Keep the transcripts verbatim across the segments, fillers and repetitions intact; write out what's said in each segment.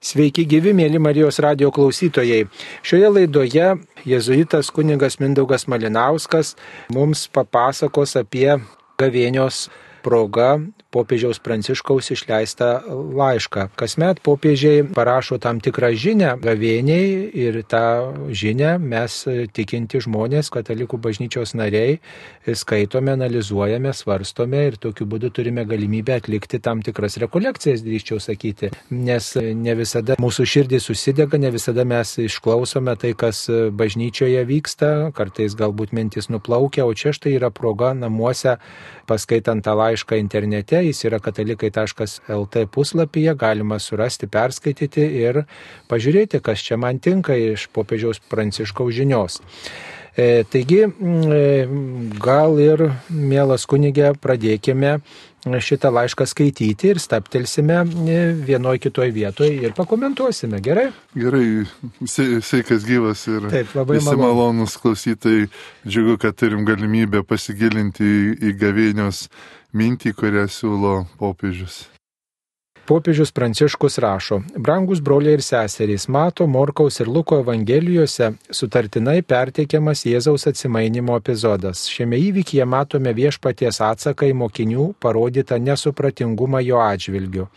Sveiki gyvi, mėly Marijos radijo klausytojai. Šioje laidoje jėzuitas kunigas Mindaugas Malinauskas mums papasakos apie gavėnios proga popiežiaus Pranciškaus išleistą laišką. Kasmet popiežiai parašo tam tikrą žinią gavėniai ir tą žinią mes tikinti žmonės, katalikų bažnyčios nariai, skaitome, analizuojame, svarstome ir tokiu būdu turime galimybę atlikti tam tikras rekolekcijas, drįsčiau sakyti, nes ne visada mūsų širdis susidega, ne visada mes išklausome tai, kas bažnyčioje vyksta, kartais galbūt mintis nuplaukia, o čia štai yra proga namuose, paskaitant tą laišką internete, jis yra katalikai taškas el tė puslapyje, galima surasti, perskaityti ir pažiūrėti, kas čia man tinka iš popiežiaus Pranciškaus žinios. E, taigi, e, gal ir, mielas kunige, pradėkime šitą laišką skaityti ir staptelsime vienoje kitoje vietoje ir pakomentuosime, gerai? Gerai, sveikas gyvas ir Taip, labai visi malonūs klausytojai. Džiugu, kad turim galimybę pasigilinti į gavėnios mintį, kurią siūlo popiežius. Popiežius Pranciškus rašo: Brangus broliai ir seserys, Mato, Morkaus ir Luko evangelijose sutartinai perteikiamas Jėzaus atsimainimo epizodas. Šiame įvykyje matome viešpaties atsaką į mokinių parodytą nesupratingumą jo atžvilgiu.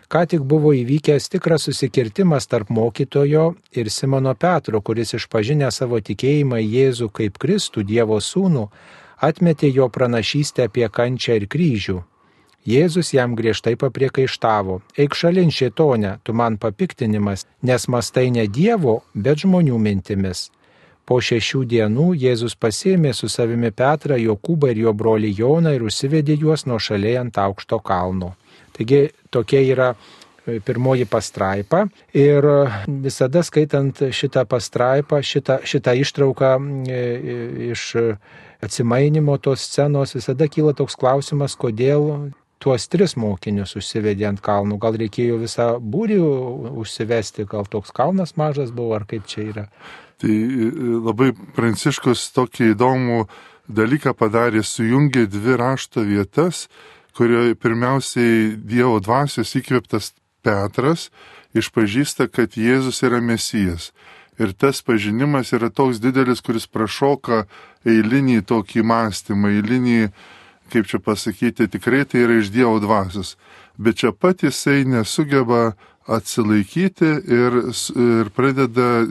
Ką tik buvo įvykęs tikras susikirtimas tarp mokytojo ir Simono Petro, kuris išpažinę savo tikėjimą į Jėzų kaip Kristų, Dievo sūnų, atmetė jo pranašystę apie kančią ir kryžių. Jėzus jam griežtai papriekaištavo: Eik šalin, šėtone, tu man papiktinimas, nes mastai ne Dievo, bet žmonių mintimis. Po šešių dienų Jėzus pasėmė su savimi Petrą, Jokūbą ir jo brolį Joną ir užsivedė juos nuošaliai ant aukšto kalno. Taigi tokia yra pirmoji pastraipa ir visada skaitant šitą pastraipą, šitą, šitą ištrauką iš atsimainimo tos scenos, visada kyla toks klausimas, kodėl tuos tris mokinius užsivedė ant kalnų. Gal reikėjo visą būrį užsivesti, gal toks kalnas mažas buvo, ar kaip čia yra? Tai labai Pranciškus tokį įdomų dalyką padarė, sujungė dvi rašto vietas, kurioje pirmiausiai Dievo dvasios įkvėptas Petras išpažįsta, kad Jėzus yra Mesijas. Ir tas pažinimas yra toks didelis, kuris prašoka eilinį tokį mąstymą, eilinį, kaip čia pasakyti, tikrai tai yra iš Dievo dvasios. Bet čia pat jisai nesugeba atsilaikyti ir, ir pradeda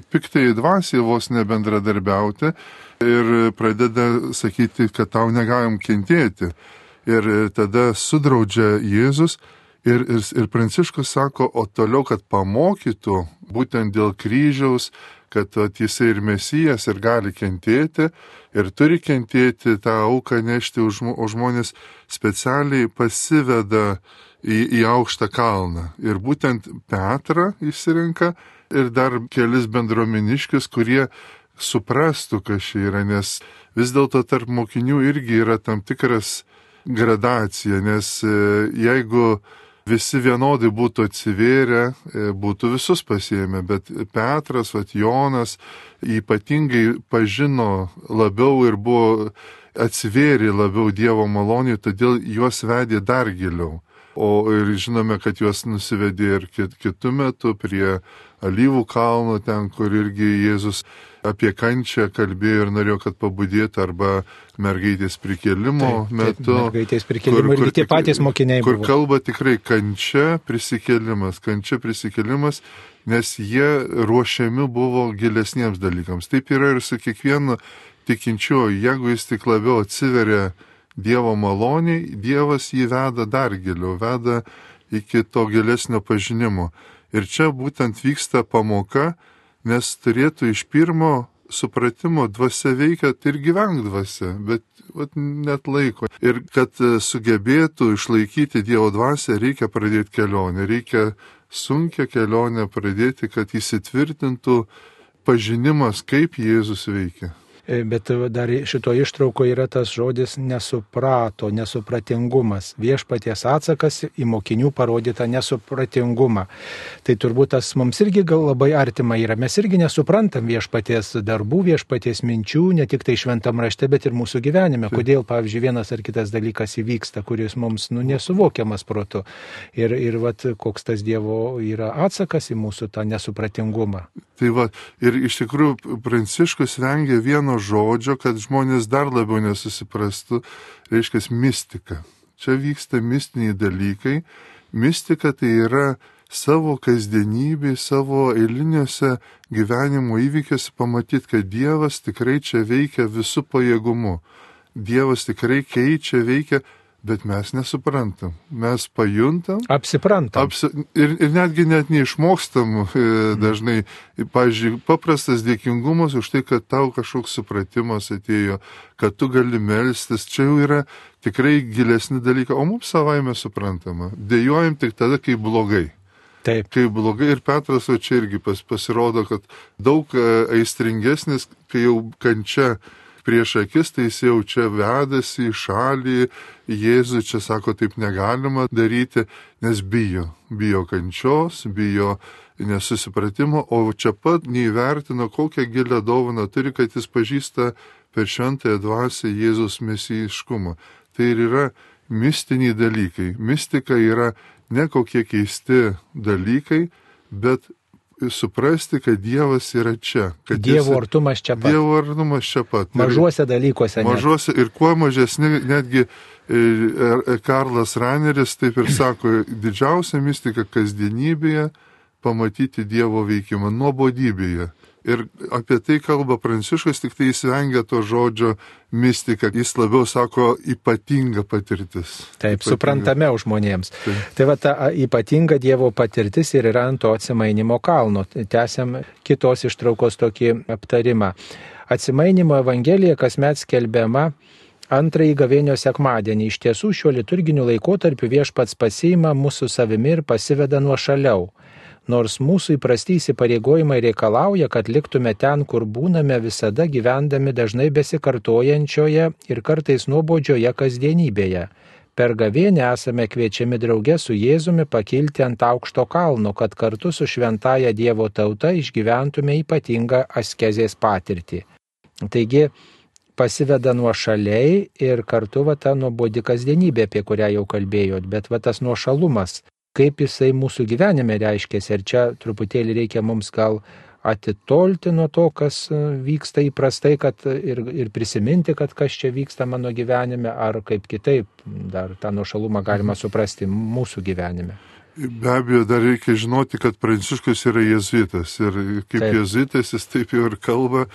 piktai dvasiai vos nebendradarbiauti ir pradeda sakyti, kad tau negalim kentėti. Ir tada sudraudžia Jėzus ir, ir, ir Pranciškus sako, o toliau, kad pamokytų būtent dėl kryžiaus, kad jisai ir Mesijas ir gali kentėti ir turi kentėti, tą auką nešti už, už žmonės, specialiai pasiveda į, į aukštą kalną. Ir būtent Petrą išsirinka ir dar kelis bendruomeniškius, kurie suprastų, kas čia yra, nes vis dėlto tarp mokinių irgi yra tam tikras gradacija, nes jeigu visi vienodai būtų atsivėrę, būtų visus pasiėmę, bet Petras, vat Jonas ypatingai pažino labiau ir buvo atsivėrė labiau Dievo malonėje, todėl juos vedė dar giliau. O ir žinome, kad juos nusivedė ir kitų metų prie Alyvų kalno, ten, kur irgi Jėzus apie kančią kalbėjo ir norėjo, kad pabudėtų, arba mergaitės prikėlimo taip, metu. Taip, mergaitės prikėlimo ir tie patys mokiniai kur buvo. Kur kalba tikrai kančia, prisikėlimas, kančia, prisikėlimas, nes jie ruošiami buvo gilesniems dalykams. Taip yra ir su kiekvienu tikinčiuoju, jeigu jis tik labiau atsiveria Dievo maloniai, Dievas jį veda dar giliau, veda iki to gilesnio pažinimo. Ir čia būtent vyksta pamoka, nes turėtų iš pirmo supratimo dvasia veikia ir gyvenk dvasia, bet vat, net laiko. Ir kad sugebėtų išlaikyti Dievo dvasią, reikia pradėti kelionę, reikia sunkią kelionę pradėti, kad įsitvirtintų pažinimas, kaip Jėzus veikia. Bet dar šito ištrauko yra tas žodis nesuprato, nesupratingumas. Viešpaties atsakas į mokinių parodytą nesupratingumą. Tai turbūt tas mums irgi gal labai artima yra. Mes irgi nesuprantam viešpaties darbų, viešpaties minčių, ne tik tai šventam rašte, bet ir mūsų gyvenime. Kodėl, pavyzdžiui, vienas ar kitas dalykas įvyksta, kuris mums nu, nesuvokiamas protu. Ir, ir vat, koks tas Dievo yra atsakas į mūsų tą nesupratingumą. Tai va, ir iš tikrųjų Pranciškus vengia vieno žodžio, kad žmonės dar labiau nesusiprastų, reiškia mistika. Čia vyksta mistiniai dalykai. Mistika tai yra savo kasdienybėje, savo eiliniuose gyvenimo įvykiuose pamatyti, kad Dievas tikrai čia veikia visų pajėgumu. Dievas tikrai keičia, veikia, bet mes nesuprantam. Mes pajuntam. Apsiprantam. Apsi, ir, ir netgi net neišmokstam e, dažnai. Pavyzdžiui, paprastas dėkingumas už tai, kad tau kažkoks supratimas atėjo, kad tu gali melstis. Čia jau yra tikrai gilesni dalykai, o mums savaime suprantama. Dejuojam tik tada, kai blogai. Taip. Kai blogai ir Petras, o čia irgi pas, pasirodo, kad daug aistringesnis, kai jau kančia prieš akis, tai jis jau čia vedasi į šalį, Jėzų čia sako, taip negalima daryti, nes bijo. Bijo kančios, bijo nesusipratimo, o čia pat neįvertino, kokią gilę dovaną turi, kad jis pažįsta per šventąją dvasią Jėzus mesijiškumą. Tai ir yra mistiniai dalykai. Mistika yra ne kokie keisti dalykai, bet suprasti, kad Dievas yra čia. Kad Dievo artumas čia pat. Dievo artumas čia pat. Mažuose dalykuose. Mažuose ir kuo mažesni, netgi Karlas Raneris taip ir sako, didžiausia mistika kasdienybėje pamatyti Dievo veikimą, nuobodybėje. Ir apie tai kalba Pranciškus, tik tai jis vengia to žodžio mistika. Jis labiau sako ypatinga patirtis. Taip, ypatinga. Suprantamiau žmonėms. Taip. Tai va ta ypatinga Dievo patirtis ir yra ant to atsimainimo kalno. Tęsiam kitos ištraukos tokį aptarimą. Atsimainimo evangelija kasmet skelbiama antrąjį gavėnio sekmadienį. Iš tiesų šiuo liturginiu laikotarpiu Viešpats pasiima mūsų savimi ir pasiveda nuošaliau. Nors mūsų įprasti įsipareigojimai reikalauja, kad liktume ten, kur būname visada gyvendami dažnai besikartojančioje ir kartais nuobodžioje kasdienybėje. Per gavėnę esame kviečiami drauge su Jėzumi pakilti ant aukšto kalno, kad kartu su šventaja Dievo tauta išgyventume ypatingą askezės patirtį. Taigi pasiveda nuošaliai ir kartu va ta nuobodi kasdienybė, apie kurią jau kalbėjot, bet va tas nuošalumas. Kaip jisai mūsų gyvenime reiškiasi. Ir čia truputėlį reikia mums gal atitolti nuo to, kas vyksta įprastai, kad ir, ir prisiminti, kad kas čia vyksta mano gyvenime, ar kaip kitaip dar tą nuošalumą galima suprasti mūsų gyvenime. Be abejo, dar reikia žinoti, kad Pranciškus yra jėzuitas. Ir kaip taip. Jėzuitas jis taip jau ir kalba,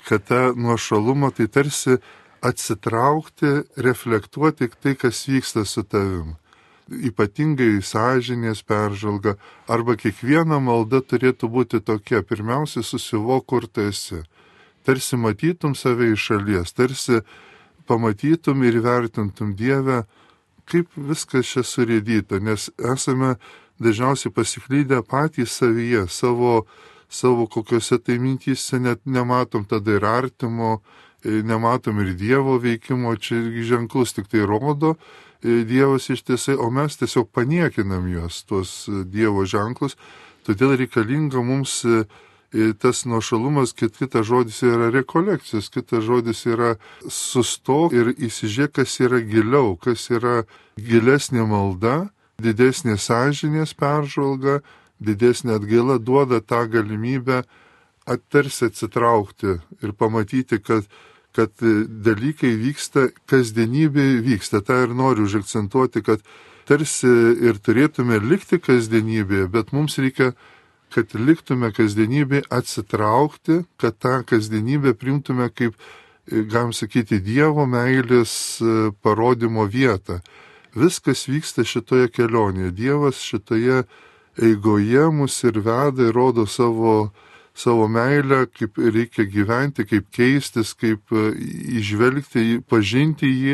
kad tą nuošalumą tai tarsi atsitraukti, reflektuoti tai, kas vyksta su tavim. Ypatingai sąžinės peržvalga, arba kiekviena malda turėtų būti tokia. Pirmiausia, susivok, kur tu esi. Tarsi matytum save iš šalies, tarsi pamatytum ir vertintum Dievę, kaip viskas čia surėdyta, nes esame dažniausiai pasiklydę patys savyje, savo, savo kokiuose tai mintyse, net nematom tada ir artimo, nematom ir Dievo veikimo, čia ženklus tik tai rodo Dievas ištisai, o mes tiesiog paniekinam juos, tuos Dievo ženklus, todėl reikalinga mums tas nuošalumas, kitas žodis yra rekolekcijos, kitas žodis yra sustok ir įsižiūrėk, kas yra giliau, kas yra gilesnė malda, didesnė sąžinės peržvalga, didesnė atgaila duoda tą galimybę attarsi atsitraukti ir pamatyti, kad kad dalykai vyksta, kasdienybė vyksta. Ta ir noriu užakcentuoti, kad tarsi ir turėtume likti kasdienybėje, bet mums reikia, kad liktume kasdienybėje, atsitraukti, kad tą kasdienybę priimtume kaip, galim sakyti, Dievo meilės parodymo vietą. Viskas vyksta šitoje kelionėje. Dievas šitoje eigoje mus ir veda ir rodo savo savo meilę, kaip reikia gyventi, kaip keistis, kaip įžvelgti, pažinti jį,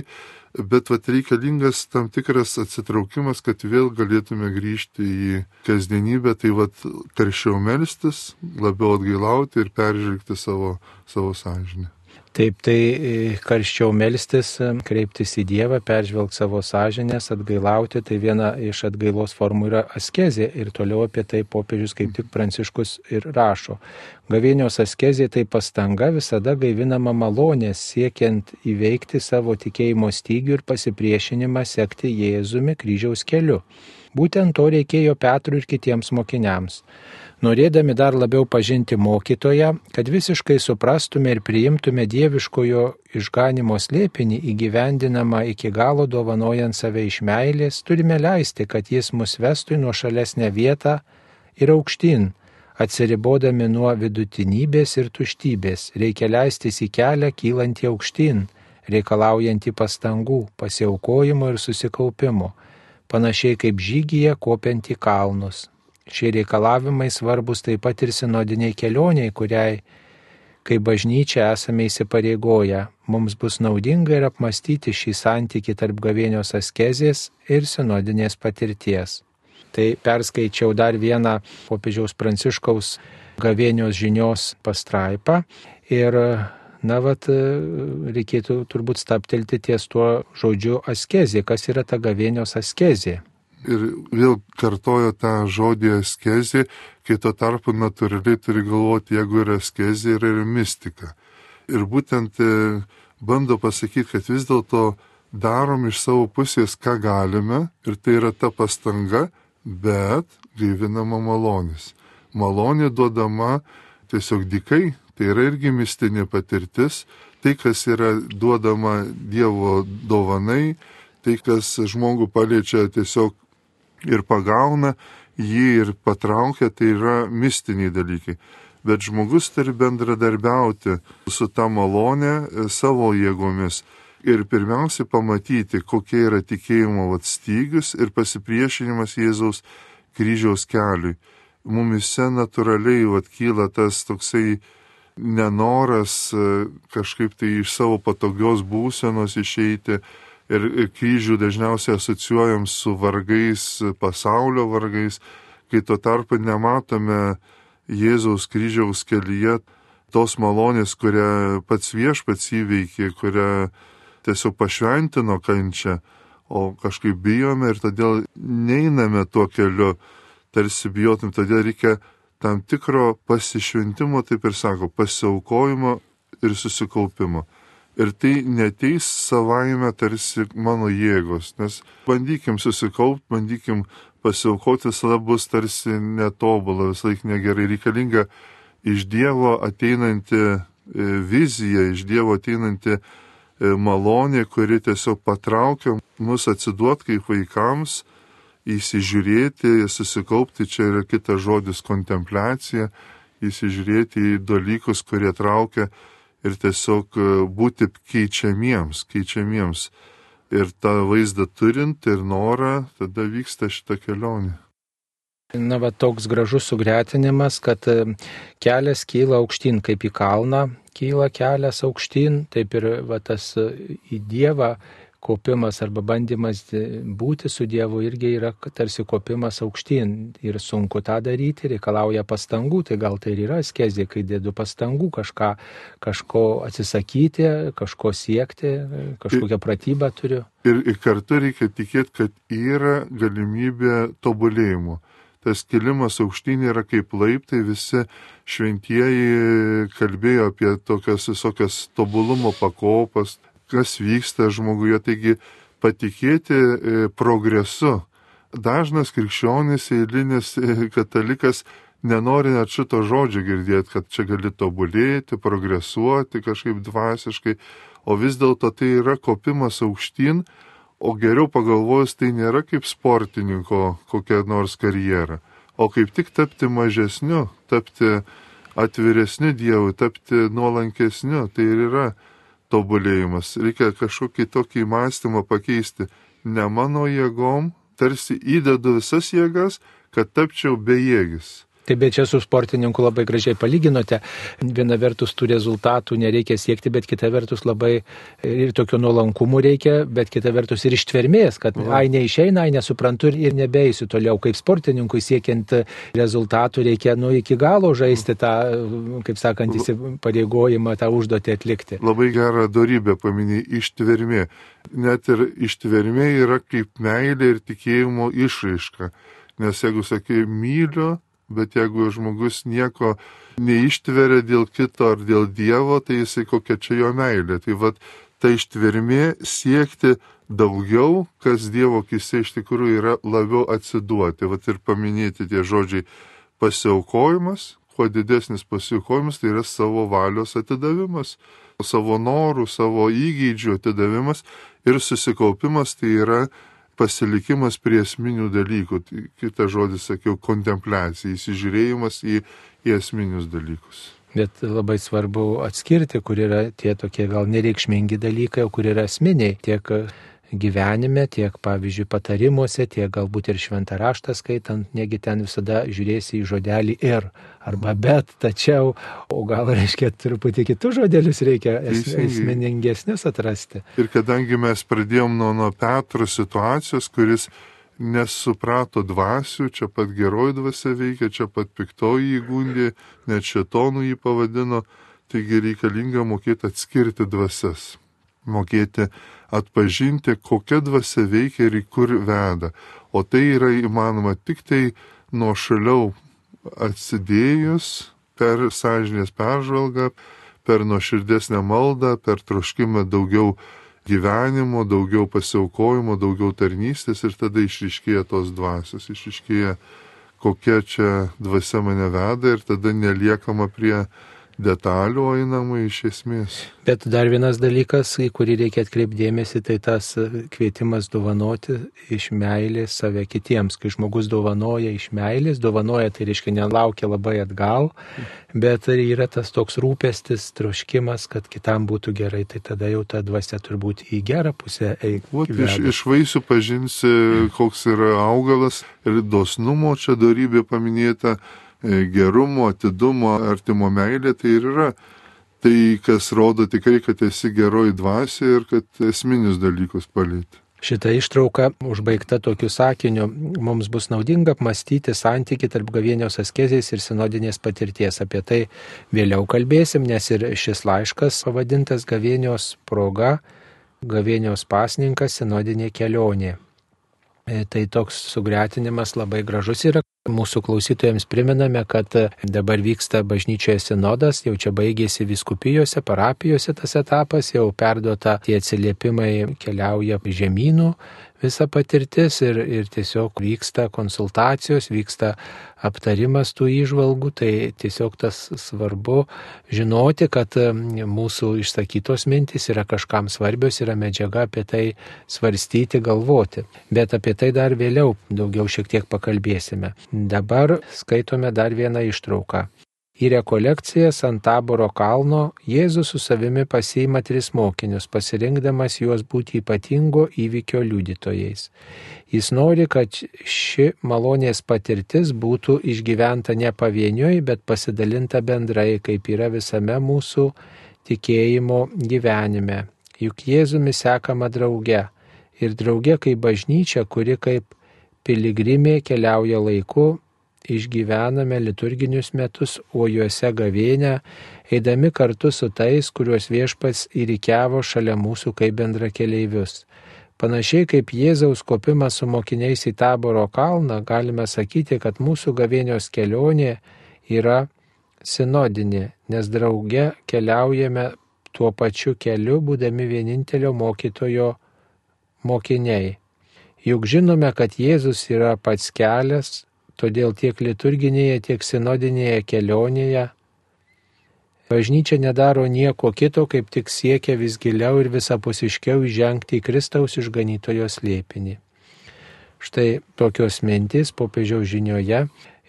bet vat reikalingas tam tikras atsitraukimas, kad vėl galėtume grįžti į kasdienybę, tai vat karščiau melstis, labiau atgailauti ir peržvelgti savo, savo sąžinę. Taip, tai karščiau melstis, kreiptis į Dievą, peržvelgti savo sąžinės, atgailauti, tai viena iš atgailos formų yra askezė ir toliau apie tai popiežius kaip tik Pranciškus ir rašo. Gavėnios askezė tai pastanga visada gaivinama malonės, siekiant įveikti savo tikėjimo stygių ir pasipriešinimą sekti Jėzumi kryžiaus keliu. Būtent to reikėjo Petrui ir kitiems mokiniams. Norėdami dar labiau pažinti mokytoją, kad visiškai suprastume ir priimtume dieviškojo išganimo slėpinį įgyvendinamą iki galo dovanojant save iš meilės, turime leisti, kad jis mus vestų į nuošalesnę vietą ir aukštyn, atsiribodami nuo vidutinybės ir tuštybės. Reikia leistis į kelią kylantį aukštyn, reikalaujantį pastangų, pasiaukojimo ir susikaupimo, panašiai kaip žygyje kopiant į kalnus. Šie reikalavimai svarbus taip pat ir sinodiniai kelioniai, kuriai, kaip bažnyčia, esame įsipareigoję. Mums bus naudinga ir apmastyti šį santykį tarp gavėnios askezės ir sinodinės patirties. Tai perskaičiau dar vieną popiežiaus Pranciškaus gavėnios žinios pastraipą ir, na, vat, reikėtų turbūt staptelti ties tuo žodžiu askezė. Kas yra ta gavėnios askezė? Ir vėl kartojo tą žodį askezė, kai tuo tarpu natūraliai turi galvoti, jeigu yra askezė, yra ir mistika. Ir būtent bando pasakyti, kad vis dėlto darom iš savo pusės, ką galime, ir tai yra ta pastanga, bet gaivinama malonės. Malonė duodama tiesiog dykai, tai yra irgi mistinė patirtis, tai, kas yra duodama Dievo dovanai, tai, kas žmogų paliečia tiesiog ir pagauna jį ir patraukia, tai yra mistiniai dalykai. Bet žmogus turi bendradarbiauti su ta malonė savo jėgomis ir pirmiausia pamatyti, kokie yra tikėjimo stygius ir pasipriešinimas Jėzaus kryžiaus keliui. Mumise natūraliai vat, kyla tas toksai nenoras kažkaip tai iš savo patogios būsenos išeiti. Ir kryžių dažniausiai asocijuojam su vargais, pasaulio vargais, kai tuo tarpu nematome Jėzaus kryžiaus kelyje tos malonės, kurią pats viešpats įveikė, kurią tiesiog pašventino kančią, o kažkaip bijome ir todėl neiname tuo keliu, tarsi bijotum, todėl reikia tam tikro pasišventimo, taip ir sako, pasiaukojimo ir susikaupimo. Ir tai neteis savaime tarsi mano jėgos, nes bandykim susikaupti, bandykim pasiaukoti, visada bus tarsi netobula, vis laik negerai. Reikalinga iš Dievo ateinanti vizija, iš Dievo ateinanti malonė, kuri tiesiog patraukia mus atsiduot kaip vaikams, įsižiūrėti, susikaupti, čia yra kitas žodis kontempliacija, įsižiūrėti į dalykus, kurie traukia, ir tiesiog būti keičiamiems, keičiamiems. Ir tą vaizdą turint ir norą, tada vyksta šita kelionė. Na, va, toks gražus sugretinimas, kad kelias kyla aukštyn, kaip į kalną kyla kelias aukštyn, taip ir va, tas į Dievą kopimas arba bandymas būti su Dievu irgi yra tarsi kopimas aukštyn. Ir sunku tą daryti, reikalauja pastangų, tai gal tai ir yra askezė, kai dėdu pastangų kažką, kažko atsisakyti, kažko siekti, kažkokią pratybą turiu. Ir, ir kartu reikia tikėti, kad yra galimybė tobulėjimo. Tas kilimas aukštyn yra kaip laiptai, visi šventieji kalbėjo apie tokias visokias tobulumo pakopas, kas vyksta žmoguje, taigi patikėti progresu. Dažnas krikščionis, eilinis katalikas nenori net šito žodžio girdėti, kad čia gali tobulėti, progresuoti kažkaip dvasiškai, o vis dėlto tai yra kopimas aukštyn, o geriau pagalvojus, tai nėra kaip sportininko kokia nors karjera, o kaip tik tapti mažesniu, tapti atviresniu Dievui, tapti nuolankesniu, tai ir yra tobulėjimas. Reikia kažkokį tokį mąstymą pakeisti. Ne mano jėgom, tarsi įdedu visas jėgas, kad tapčiau bejėgis. Taip, bet čia su sportininku labai gražiai palyginote. Viena vertus tų rezultatų nereikia siekti, bet kita vertus labai ir tokio nuolankumo reikia, bet kita vertus ir ištvermės, kad mhm. ai neišeina, ai nesuprantu ir nebeisiu toliau. Kaip sportininkui siekiant rezultatų reikia nu iki galo žaisti tą, kaip sakant, įsipareigojimą, tą užduotį atlikti. Labai gerą dorybę paminėjai, ištvermė. Net ir ištvermė yra kaip meilė ir tikėjimo išraiška. Nes jeigu sakai myliu, bet jeigu žmogus nieko neištveria dėl kito ar dėl Dievo, tai jisai kokia čia jo meilė. Tai vat, ta ištvermė siekti daugiau, kas Dievo akise iš tikrųjų yra labiau atsiduoti. Vat ir paminėti tie žodžiai pasiaukojimas, kuo didesnis pasiaukojimas, tai yra savo valios atidavimas, savo norų, savo įgeidžių atidavimas ir susikaupimas, tai yra pasilikimas prie esminių dalykų. Tai kitą žodį sakiau, kontempliacija, įsižiūrėjimas į, į esminius dalykus. Bet labai svarbu atskirti, kur yra tie tokie gal nereikšmingi dalykai, o kur yra esminiai tiek gyvenime, tiek, pavyzdžiui, patarimuose, tiek galbūt ir šventą raštą skaitant, negi ten visada žiūrėsi į žodelį ir arba bet, tačiau, o gal, reiškia, truputį kitus žodelius reikia es, esminingesnius atrasti. Ir kadangi mes pradėjom nuo, nuo Petro situacijos, kuris nesuprato dvasių, čia pat geroji dvasia veikia, čia pat piktoji įgundė, net šėtonų jį pavadino, taigi reikalinga mokėti atskirti dvasias, mokėti atpažinti, kokia dvasia veikia ir į kur veda. O tai yra įmanoma tik tai nuošaliau atsidėjus per sąžinės peržvalgą, per nuoširdesnę maldą, per troškimą daugiau gyvenimo, daugiau pasiaukojimo, daugiau tarnystės ir tada išryškėja tos dvasios, išryškėja kokia čia dvasia mane veda ir tada neliekama prie detalių, o einama iš esmės. Bet dar vienas dalykas, į kurį reikia atkreipdėmėsi, tai tas kvietimas dovanoti iš meilės save kitiems. Kai žmogus dovanoja iš meilės, dovanoja tai reiškia nelaukia labai atgal, bet yra tas toks rūpestis, troškimas, kad kitam būtų gerai, tai tada jau ta dvasia turbūt į gerą pusę eina. Iš, iš vaisių pažinsi, koks yra augalas ir dosnumo čia dorybė paminėta, gerumo, atidumo, artimo meilė, tai ir yra tai, kas rodo tikrai, kad esi geroji dvasia ir kad esminius dalykus palėti. Šita ištrauka užbaigta tokiu sakiniu, mums bus naudinga apmąstyti santykį tarp gavėnios askezės ir sinodinės patirties. Apie tai vėliau kalbėsim, nes ir šis laiškas pavadintas gavėnios proga, gavėnios pasninkas, sinodinė kelionė. Tai toks sugretinimas labai gražus yra. Mūsų klausytojams priminame, kad dabar vyksta bažnyčioje sinodas, jau čia baigėsi vyskupijose, parapijose tas etapas, jau perduota tie atsiliepimai keliauja žemynų visa patirtis ir, ir tiesiog vyksta konsultacijos, vyksta aptarimas tų įžvalgų, tai tiesiog tas svarbu žinoti, kad mūsų išsakytos mintys yra kažkam svarbios, yra medžiaga apie tai svarstyti, galvoti. Bet apie tai dar vėliau daugiau šiek tiek pakalbėsime. Dabar skaitome dar vieną ištrauką. Į rekolekcijas ant Taboro kalno Jėzus su savimi pasiima tris mokinius, pasirinkdamas juos būti ypatingo įvykio liudytojais. Jis nori, kad ši malonės patirtis būtų išgyventa ne pavieniui, bet pasidalinta bendrai, kaip yra visame mūsų tikėjimo gyvenime. Juk Jėzumi sekama drauge ir drauge kaip bažnyčia, kuri kaip piligrimė keliauja laiku, išgyvename liturginius metus, o juose gavėnę, eidami kartu su tais, kuriuos viešpats įrikiavo šalia mūsų kaip bendrakeleivius. Panašiai kaip Jėzaus kopimas su mokiniais į Taboro kalną, galime sakyti, kad mūsų gavėnios kelionė yra sinodinė, nes drauge keliaujame tuo pačiu keliu, būdami vienintelio mokytojo mokiniai. Juk žinome, kad Jėzus yra pats kelias, todėl tiek liturginėje, tiek sinodinėje kelionėje bažnyčia nedaro nieko kito, kaip tik siekia vis giliau ir visapusiškiau įžengti į Kristaus išganytojo slėpinį. Štai tokios mintys popiežiaus žinioje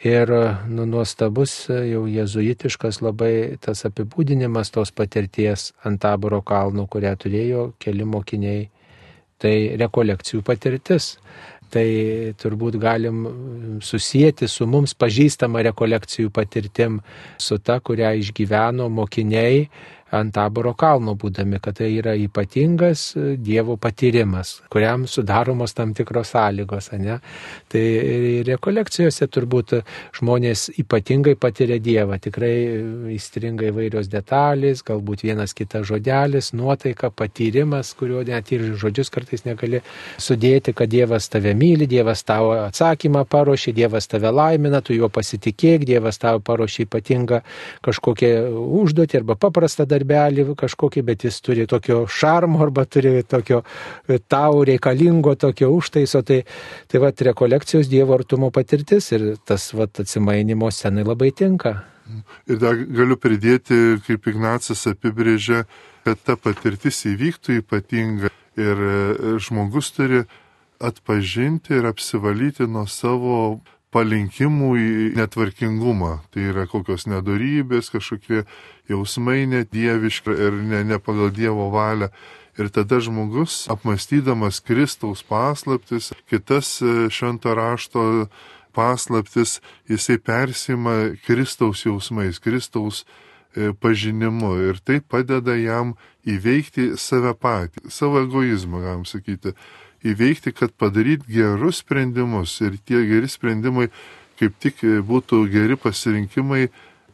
ir nu, nuostabus jau jėzuitiškas labai tas apibūdinimas tos patirties ant Taboro kalno, kurią turėjo keli mokiniai. Tai rekolekcijų patirtis. Tai turbūt galim susijęti su mums pažįstama rekolekcijų patirtim, su ta, kurią išgyveno mokiniai ant Taboro kalno būdami, kad tai yra ypatingas Dievo patyrimas, kuriam sudaromos tam tikros sąlygos. Ne? Tai rekolekcijose turbūt žmonės ypatingai patiria Dievą, tikrai įstringa įvairios detalės, galbūt vienas kitas žodelis, nuotaika, patyrimas, kurio net ir žodžius kartais negali sudėti, kad Dievas tave myli, Dievas tavo atsakymą paruošė, Dievas tave laimina, tu juo pasitikėk, Dievas tavo paruošė ypatingą kažkokią užduotį arba paprastą darbelį kažkokį, bet jis turi tokio šarmo arba turi tokio tau reikalingo tokio užtaiso. Tai, tai va, rekolekcijos Dievo artumo patirtis ir tas va, atsimainimo scenai labai tinka. Ir dar galiu pridėti, kaip Ignacas apibrėžia, kad ta patirtis įvyktų ypatinga ir žmogus turi atpažinti ir apsivalyti nuo savo palinkimų į netvarkingumą. Tai yra kokios nedorybės, kažkokie jausmai nedieviški ir ne, ne pagal Dievo valią. Ir tada žmogus, apmastydamas Kristaus paslaptis, kitas švento rašto paslaptis, jisai persima Kristaus jausmais, Kristaus pažinimu. Ir tai padeda jam įveikti save patį, savo egoizmą, galim sakyti. Įveikti, kad padaryti gerus sprendimus ir tie geri sprendimai kaip tik būtų geri pasirinkimai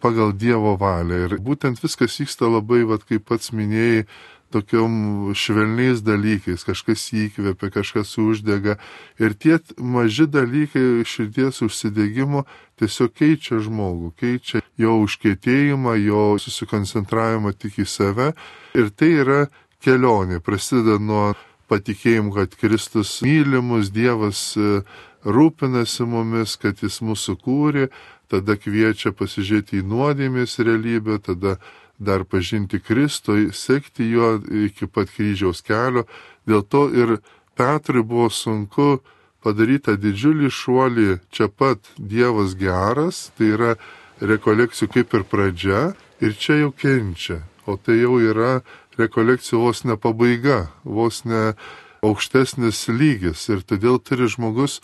pagal Dievo valią. Ir būtent viskas vyksta labai, vat, kaip pats minėjai, tokiom švelniais dalykais, kažkas įkvepia, kažkas uždega. Ir tie maži dalykai širdies užsidegimo tiesiog keičia žmogų, keičia jo užkietėjimą, jo susikoncentravimą tik į save. Ir tai yra kelionė, prasideda nuo patikėjim, kad Kristus mylimus, Dievas rūpinasi mumis, kad jis mūsų kūrė, tada kviečia pasižiūrėti į nuodėmės realybę, tada dar pažinti Kristų, sekti juo iki pat kryžiaus kelio. Dėl to ir Petrui buvo sunku padaryti tą didžiulį šuolį čia pat Dievas geras, tai yra rekolekcijų kaip ir pradžia, ir čia jau kenčia, o tai jau yra rekolekcijų vos ne pabaiga, vos ne aukštesnis lygis. Ir todėl turi žmogus,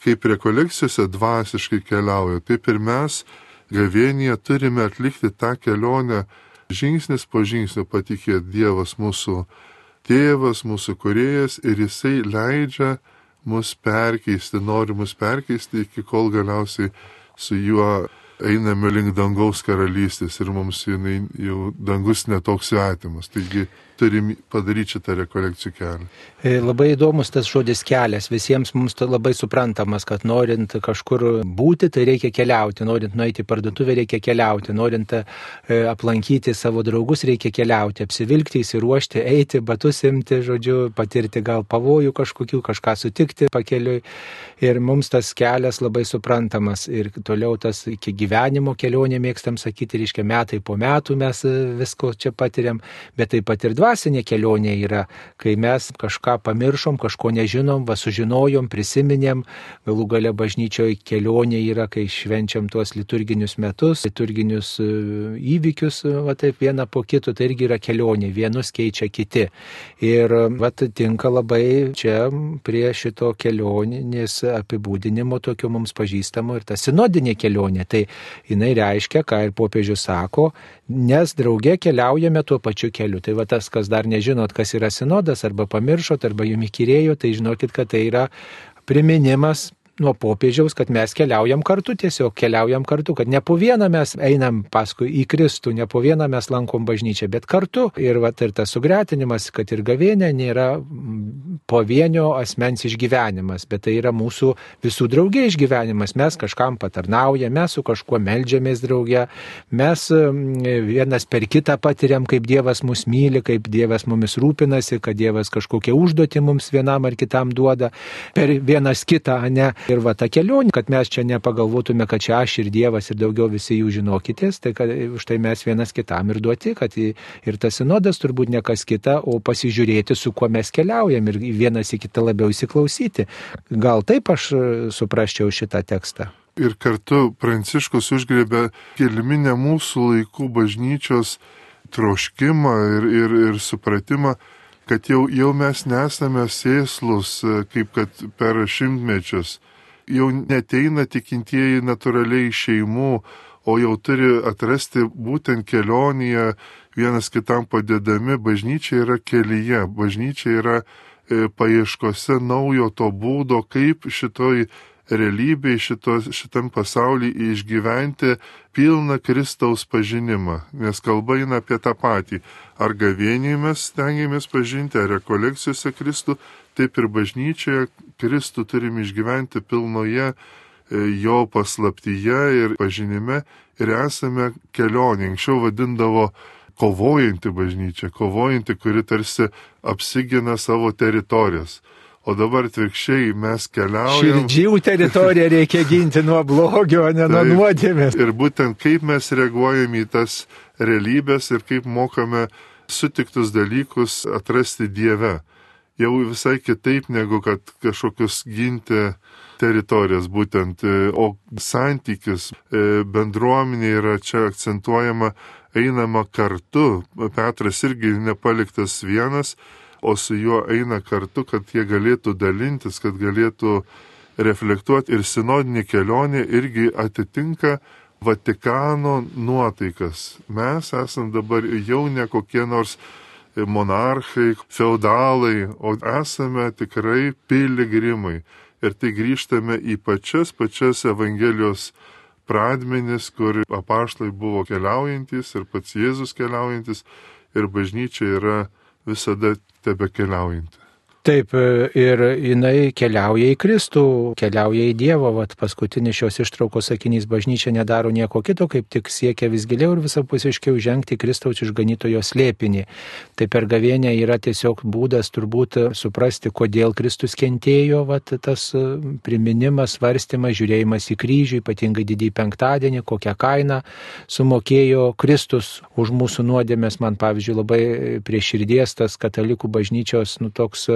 kaip rekolekcijose dvasiškai keliauja, taip ir mes gavėnyje turime atlikti tą kelionę žingsnis po žingsnio, patikėti Dievas mūsų tėvas, mūsų kūrėjas, ir jisai leidžia mus perkeisti, nori mus perkeisti, iki kol galiausiai su juo einame link dangaus karalystės ir mums jinai, jau dangus netoks svetimas. Taigi turim padaryti šitą rekolekcijų kelią. Labai įdomus tas žodis kelias. Visiems mums labai suprantamas, kad norint kažkur būti, tai reikia keliauti. Norint nueiti į parduotuvę, reikia keliauti. Norint aplankyti savo draugus, reikia keliauti. Apsivilkti, įsiruošti, eiti, batus imti, žodžiu, patirti gal pavojų kažkokių, kažką sutikti pakeliui. Ir mums tas kelias labai suprantamas. Ir toliau tas iki gyvenimo kelionė, mėgstam sakyti, reiškia metai po metų mes visko čia patiriam, bet taip pat ir dvasinė kelionė yra, kai mes kažką pamiršom, kažko nežinom, va sužinojom, prisiminėm, galų gale bažnyčioje kelionė yra, kai švenčiam tuos liturginius metus, liturginius įvykius, va taip vieną po kito, tai irgi yra kelionė, vienus keičia kiti. Ir va tinka labai čia prie šito kelionės apibūdinimo tokio mums pažįstamo ir ta sinodinė kelionė. Tai jinai reiškia, ką ir popiežius sako, nes drauge keliaujame tuo pačiu keliu. Tai va tas, kas dar nežinot, kas yra sinodas, arba pamiršot, arba jums įkyrėjo, tai žinokit, kad tai yra priminimas nuo popiežiaus, kad mes keliaujam kartu, tiesiog keliaujam kartu, kad ne po vieną mes einam paskui į Kristų, ne po vieną mes lankom bažnyčią, bet kartu. Ir va ir tas sugretinimas, kad ir gavėnė nėra pavienio asmens išgyvenimas, bet tai yra mūsų visų draugė išgyvenimas. Mes kažkam patarnaujame, mes su kažkuo meldžiamės drauge, mes vienas per kitą patiriam, kaip Dievas mus myli, kaip Dievas mumis rūpinasi, kad Dievas kažkokią užduotį mums vienam ar kitam duoda per vienas kitą, ne? Ir va ta kelionė, kad mes čia nepagalvotume, kad čia aš ir Dievas ir daugiau visi jų žinokitės, tai kad už tai mes vienas kitam ir duoti, kad ir tas sinodas turbūt ne kas kita, o pasižiūrėti, su kuo mes keliaujam ir vienas į kitą labiau įsiklausyti. Gal taip aš suprasčiau šitą tekstą. Ir kartu Pranciškus užgriebė gelminę mūsų laikų bažnyčios troškimą ir, ir, ir supratimą, kad jau, jau mes nesame sėslus, kaip kad per šimtmečius. Jau neteina tikintieji natūraliai iš šeimų, o jau turi atrasti būtent kelionėje, vienas kitam padedami. Bažnyčia yra kelyje, bažnyčia yra e, paieškose naujo to būdo, kaip šitoj realybėje, šito, šitam pasaulyje išgyventi pilną Kristaus pažinimą. Nes kalba eina apie tą patį. Ar gavėniai mes stengiamės pažinti, ar rekolekcijose Kristų, taip ir bažnyčioje Kristų turim išgyventi pilnoje jo paslaptyje ir pažinime ir esame kelionė. Anksčiau vadindavo kovojanti bažnyčia, kovojanti, kuri tarsi apsigina savo teritorijas. O dabar atvirkščiai mes keliaujame. Širdžių teritoriją reikia ginti nuo blogio, ne nuo nuodėmės. Ir būtent kaip mes reaguojame į tas realybės ir kaip mokame sutiktus dalykus atrasti Dieve. Jau visai kitaip negu kad kažkokius ginti teritorijas būtent, o santykis bendruomenė yra čia akcentuojama, einama kartu. Petras irgi nepaliktas vienas, o su juo eina kartu, kad jie galėtų dalintis, kad galėtų reflektuoti. Ir sinodinė kelionė irgi atitinka Vatikano nuotaikas. Mes esam dabar jau ne kokie nors monarchai, feudalai, o esame tikrai piligrimai. Ir tai grįžtame į pačias, pačias Evangelijos pradmenis, kur apaštalai buvo keliaujantis ir pats Jėzus keliaujantis ir bažnyčia yra visada tebe keliaujanti. Taip, ir jinai keliauja į Kristų, keliauja į Dievą. Vat paskutinis šios ištraukos sakinys: bažnyčia nedaro nieko kito, kaip tik siekia vis giliau ir visapusiškiau žengti Kristaus išganytojo slėpinį. Tai per gavėnią yra tiesiog būdas turbūt suprasti, kodėl Kristus kentėjo, vat tas priminimas, svarstymas, žiūrėjimas į kryžių, ypatingai didįjį penktadienį, kokią kainą sumokėjo Kristus už mūsų nuodėmes. Man, pavyzdžiui, labai prie širdies tas katalikų bažnyčios, nu toks,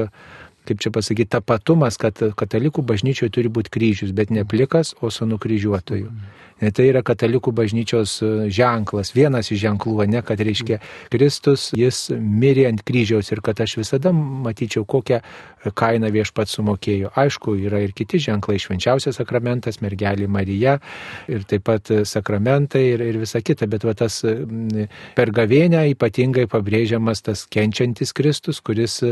kaip čia pasakyti, tapatumas, kad katalikų bažnyčioje turi būti kryžius, bet ne plikas, o su nukryžiuotoju. Tai yra katalikų bažnyčios ženklas, vienas iš ženklų, ne, kad reiškia Kristus, jis mirė ant kryžiaus ir kad aš visada matyčiau, kokią kainą viešpats sumokėjo. Aišku, yra ir kiti ženklai, švenčiausias sakramentas, mergelė Marija ir taip pat sakramentai ir, ir visa kita, bet va tas per gavėnią ypatingai pabrėžiamas tas kenčiantis Kristus, kuris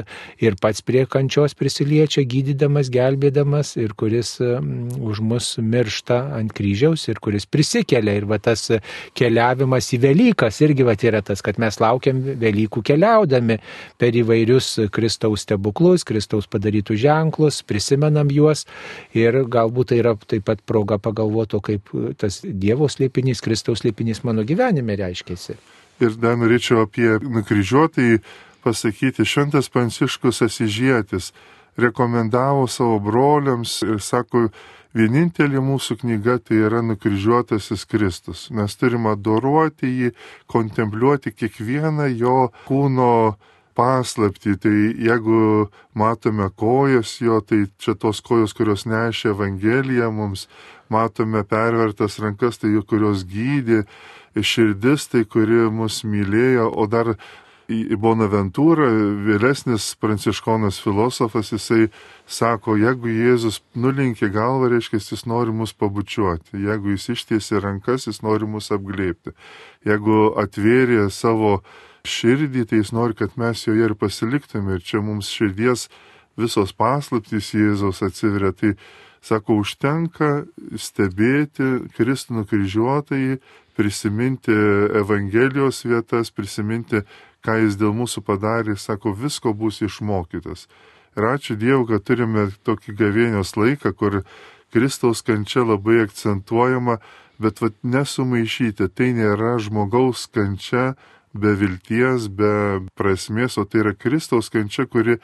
ir pats prie kančios prisiliečia, gydydamas, gelbėdamas ir kuris už mus miršta ant kryžiaus ir kuris kuris prisikelia. Ir va tas keliavimas į Velykas irgi va yra tas, kad mes laukiam Velykų keliaudami per įvairius Kristaus stebuklus, Kristaus padarytus ženklus, prisimenam juos ir galbūt tai yra taip pat proga pagalvoti, kaip tas Dievo slėpinys, Kristaus slėpinys mano gyvenime reiškėsi. Ir dar norėčiau apie nukryžiuotąjį pasakyti. Šventas Pranciškus Asyžietis rekomendavo savo broliams ir sako, vienintelė mūsų knyga tai yra nukryžiuotasis Kristus. Mes turime adoruoti jį, kontempliuoti kiekvieną jo kūno paslaptį. Tai jeigu matome kojas jo, tai čia tos kojos, kurios nešė Evangeliją mums, matome pervertas rankas, tai kurios gydė, širdis, tai kuri mus mylėjo, o dar į Bonaventūrą, vėlesnis pranciškonas filosofas, jisai sako, jeigu Jėzus nulinkė galvą, reiškia, jis nori mus pabučiuoti. Jeigu jis ištiesė rankas, jis nori mus apglėbti. Jeigu atvėrė savo širdį, tai jis nori, kad mes joje ir pasiliktume. Ir čia mums širdies visos paslaptys Jėzaus atsiveria. Tai, sako, užtenka stebėti Kristų nukryžiuotąjį, prisiminti Evangelijos vietas, prisiminti, ką jis dėl mūsų padarė, sako, visko bus išmokytas. Ir ačiū Dievui, kad turime tokį gavėnios laiką, kur Kristaus kančia labai akcentuojama, bet vat, nesumaišyti, tai nėra žmogaus kančia be vilties, be prasmės, o tai yra Kristaus kančia, kuri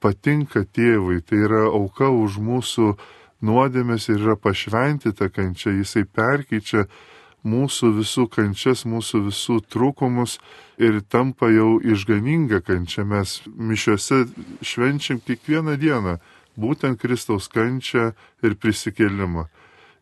patinka tėvui, tai yra auka už mūsų nuodėmes ir yra pašventyta kančia, jisai perkeičia mūsų visų kančias, mūsų visų trūkumus ir tampa jau išganinga kančia. Mes mišiuose švenčiam kiekvieną dieną būtent Kristaus kančią ir prisikėlimą.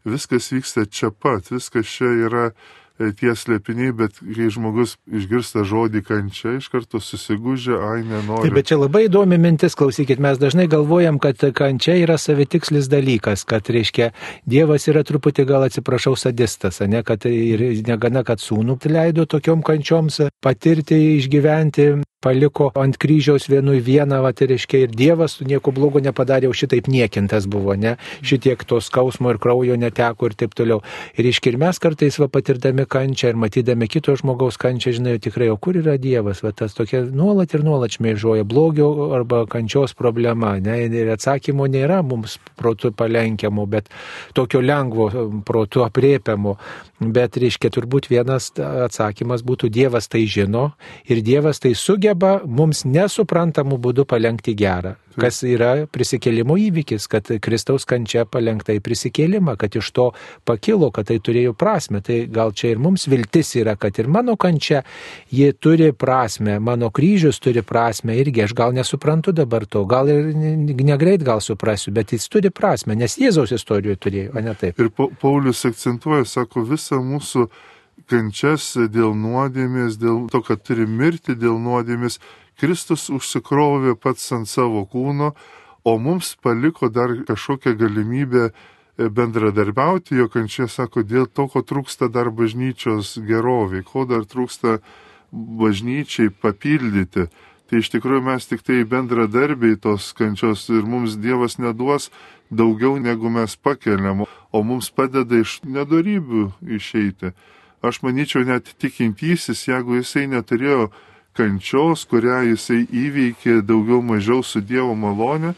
Viskas vyksta čia pat, viskas čia yra tie slėpiniai, bet kai žmogus išgirsta žodį kančia, iš karto susigūžia, ai nenori. Taip, bet čia labai įdomi mintis, klausykit, mes dažnai galvojam, kad kančia yra savitikslis dalykas, kad, reiškia, Dievas yra truputį, gal atsiprašau, sadistas, ne, kad ir negana, kad sūnų leido tokiom kančioms patirti, išgyventi, paliko ant kryžiaus vienui vieną, va, tai reiškia, ir Dievas nieko blogo nepadarė, jau šitaip niekintas buvo, ne, šitiek to skausmo ir kraujo neteko ir taip toliau. Ir reiškia, ir mes kartais va, patirdami kančią ir matydami kito žmogaus kančią, žinai, tikrai, o kur yra Dievas, va, tas tokia nuolat ir nuolat šmėžuoja blogio arba kančios problema, ne, ir atsakymo nėra mums protu palenkiamo, bet tokio lengvo protu apriepiamo, bet, reiškia, turbūt vienas atsakymas būtų Dievas tai žino ir Dievas tai sugeba mums nesuprantamų būdų palenkti gerą, kas yra prisikėlimo įvykis, kad Kristaus kančia palenkta į prisikėlimą, kad iš to pakilo, kad tai turėjo prasme. Tai gal čia ir mums viltis yra, kad ir mano kančia, ji turi prasme, mano kryžius turi prasme irgi, aš gal nesuprantu dabar to, gal ir negreit gal suprasiu, bet jis turi prasme, nes Jėzaus istorijoje turėjo, o ne taip. Ir Paulius akcentuoja, sako, visą mūsų kančias dėl nuodėmės, dėl to, kad turi mirti dėl nuodėmės, Kristus užsikrovė pats ant savo kūno, o mums paliko dar kažkokią galimybę bendradarbiauti, jo kančia, sako, dėl to, ko trūksta dar bažnyčios geroviai, ko dar trūksta bažnyčiai papildyti. Tai iš tikrųjų mes tik tai bendradarbiai tos kančios ir mums Dievas neduos daugiau negu mes pakeliam, o mums padeda iš nedorybių išeiti. Aš manyčiau, net tikintysis, jeigu jisai neturėjo kančios, kurią jisai įveikė daugiau mažiau su Dievo malonė,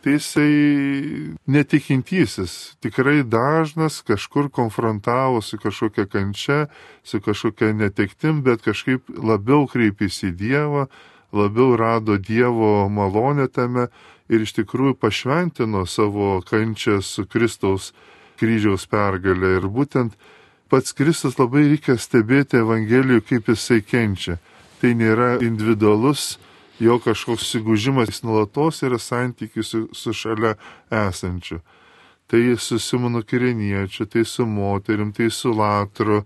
tai jisai netikintysis. Tikrai dažnas kažkur konfrontavo su kažkokia kančia, su kažkokia netektim, bet kažkaip labiau kreipėsi į Dievą, labiau rado Dievo malonę tame ir iš tikrųjų pašventino savo kančią su Kristaus kryžiaus pergalė. Ir būtent pats Kristus labai reikia stebėti Evangelijų, kaip jisai kenčia. Tai nėra individualus jo kažkoks susigūžimas, jis nuolatos yra santykis su, su šalia esančiu. Tai su Simonu Kireniečiu, tai su moterim, tai su Latru.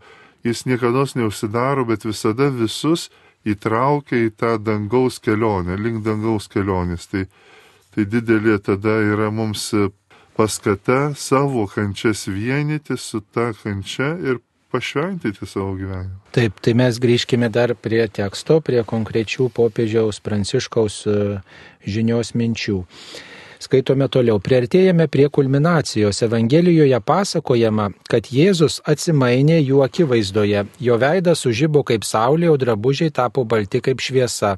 Jis niekada neužsidaro, bet visada visus įtraukia į tą dangaus kelionę, link dangaus kelionės. Tai, tai didelė tada yra mums paskata savo kančias vienyti su ta kančia ir pašventyti savo gyvenimą. Taip, tai mes grįžkime dar prie teksto, prie konkrečių popiežiaus Pranciškaus žinios minčių. Skaitome toliau. Priartėjame prie kulminacijos. Evangelijoje pasakojama, kad Jėzus atsimainė jų akivaizdoje. Jo veidas sužibo kaip saulė, o drabužiai tapo balti kaip šviesa.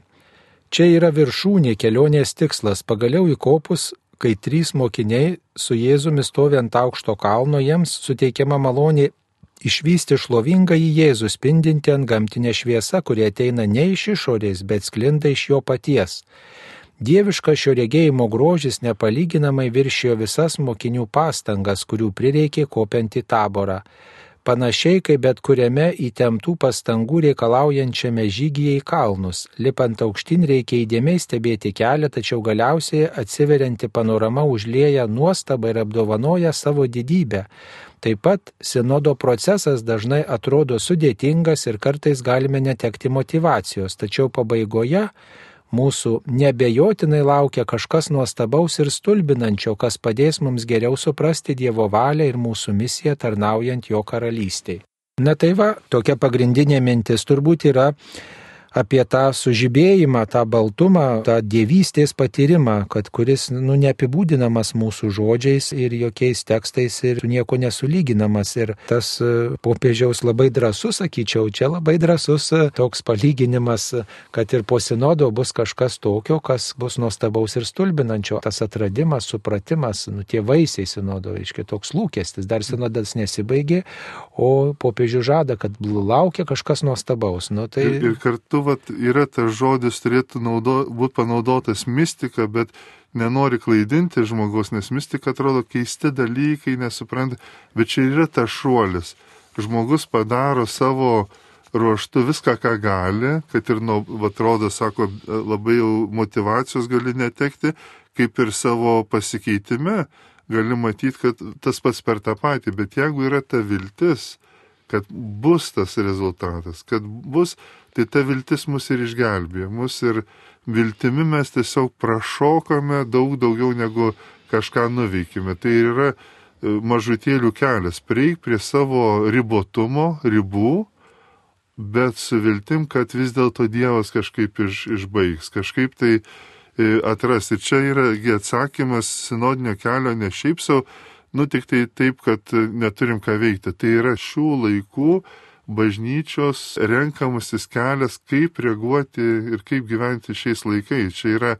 Čia yra viršūnė kelionės tikslas. Pagaliau įkopus, kai trys mokiniai su Jėzumi stovi ant aukšto kalno, jiems suteikiama malonė išvysti šlovingą į Jėzų spindinti ant gamtinę šviesą, kuri ateina ne iš išorės, bet sklinda iš jo paties. Dieviškas šio regėjimo grožis nepalyginamai viršijo visas mokinių pastangas, kurių prireikė kopiant į taborą. Panašiai kaip bet kuriame įtemptų pastangų reikalaujančiame žygyje į kalnus. Lipant aukštyn reikia įdėmiai stebėti kelią, tačiau galiausiai atsiverianti panorama užlieja nuostabą ir apdovanoja savo didybę. Taip pat sinodo procesas dažnai atrodo sudėtingas ir kartais galime netekti motyvacijos, tačiau pabaigoje mūsų neabejotinai laukia kažkas nuostabaus ir stulbinančio, kas padės mums geriau suprasti Dievo valią ir mūsų misiją tarnaujant jo karalystei. Na tai va, tokia pagrindinė mintis turbūt yra apie tą sužibėjimą, tą baltumą, tą dievystės patyrimą, kad kuris nu, neapibūdinamas mūsų žodžiais ir jokiais tekstais ir nieko nesulyginamas. Ir tas popiežiaus labai drąsus, sakyčiau, čia labai drąsus toks palyginimas, kad ir po sinodo bus kažkas tokio, kas bus nuostabaus ir stulbinančio. Tas atradimas, supratimas, nu, tie vaisiai sinodo, reiškia toks lūkestis. Dar sinodas nesibaigė, o popiežius žada, kad laukia kažkas nuostabaus. Nu, tai... ir, ir kartu vat, yra tas žodis turėtų naudo, būti panaudotas mistika, bet nenori klaidinti žmogaus, nes mistika atrodo keisti dalykai, nesupranta, bet čia yra tas šuolis. Žmogus padaro savo ruoštų viską, ką gali, kad ir, nu, atrodo, sako, labai jau motyvacijos gali netekti, kaip ir savo pasikeitime gali matyti, kad tas pats per tą patį, bet jeigu yra ta viltis, kad bus tas rezultatas, kad bus, tai ta viltis mus ir išgelbėjo, mus ir viltimi mes tiesiog prašokame daug daugiau negu kažką nuveikime. Tai yra mažutėlių kelias, prieik prie savo ribotumo, ribų, bet su viltim, kad vis dėlto Dievas kažkaip iš, išbaigs, kažkaip tai atras. Ir čia yra atsakymas sinodinio kelio ne šiaip savo, nu tik tai taip, kad neturim ką veikti. Tai yra šių laikų bažnyčios renkamasis kelias, kaip reaguoti ir kaip gyventi šiais laikais. Čia yra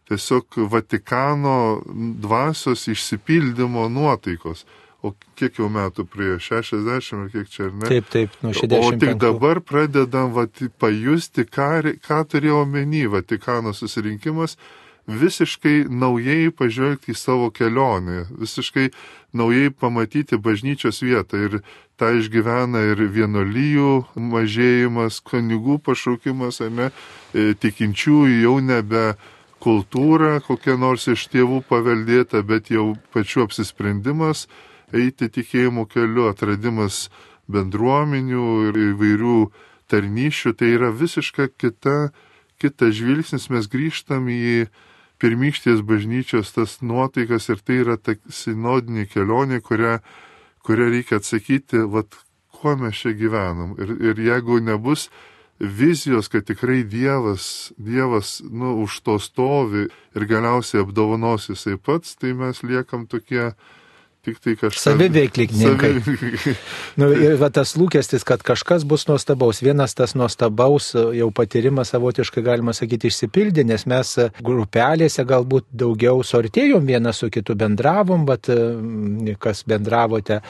tiesiog Vatikano dvasios išsipildymo nuotaikos. O kiek jau metų prie šešiasdešimt, ar kiek čia, ar ne? Taip, taip, nuo šešiasdešimt penkių. O tik dabar pradedam vat, pajusti, ką, ką turėjo omeny Vatikano susirinkimas, visiškai naujai pažvelgti į savo kelionę, visiškai naujai pamatyti bažnyčios vietą. Ir tą išgyvena ir vienuolijų mažėjimas, kunigų pašaukimas, ar ne, tikinčiųjų jau nebe kultūra, kokia nors iš tėvų paveldėta, bet jau pačių apsisprendimas eiti tikėjimo keliu, atradimas bendruomenių ir įvairių tarnyšių. Tai yra visiškai kita, kita žvilgsnis, mes grįžtam į pirmykštės bažnyčios tas nuotaikas ir tai yra ta sinodinė kelionė, kurią, kurią reikia atsakyti, vat, kuo mes čia gyvenam. Ir, ir jeigu nebus vizijos, kad tikrai Dievas, Dievas nu, už to stovi ir galiausiai apdovanos jisai pats, tai mes liekam tokie tik tai kažkas. Saviveiklininkai. Nu, ir va, tas lūkestis, kad kažkas bus nuostabaus. Vienas tas nuostabaus jau patyrimas savotiškai, galima sakyti, išsipildė, nes mes grupelėse galbūt daugiau suartėjom, vienas su kitu bendravom, bet kas bendravote,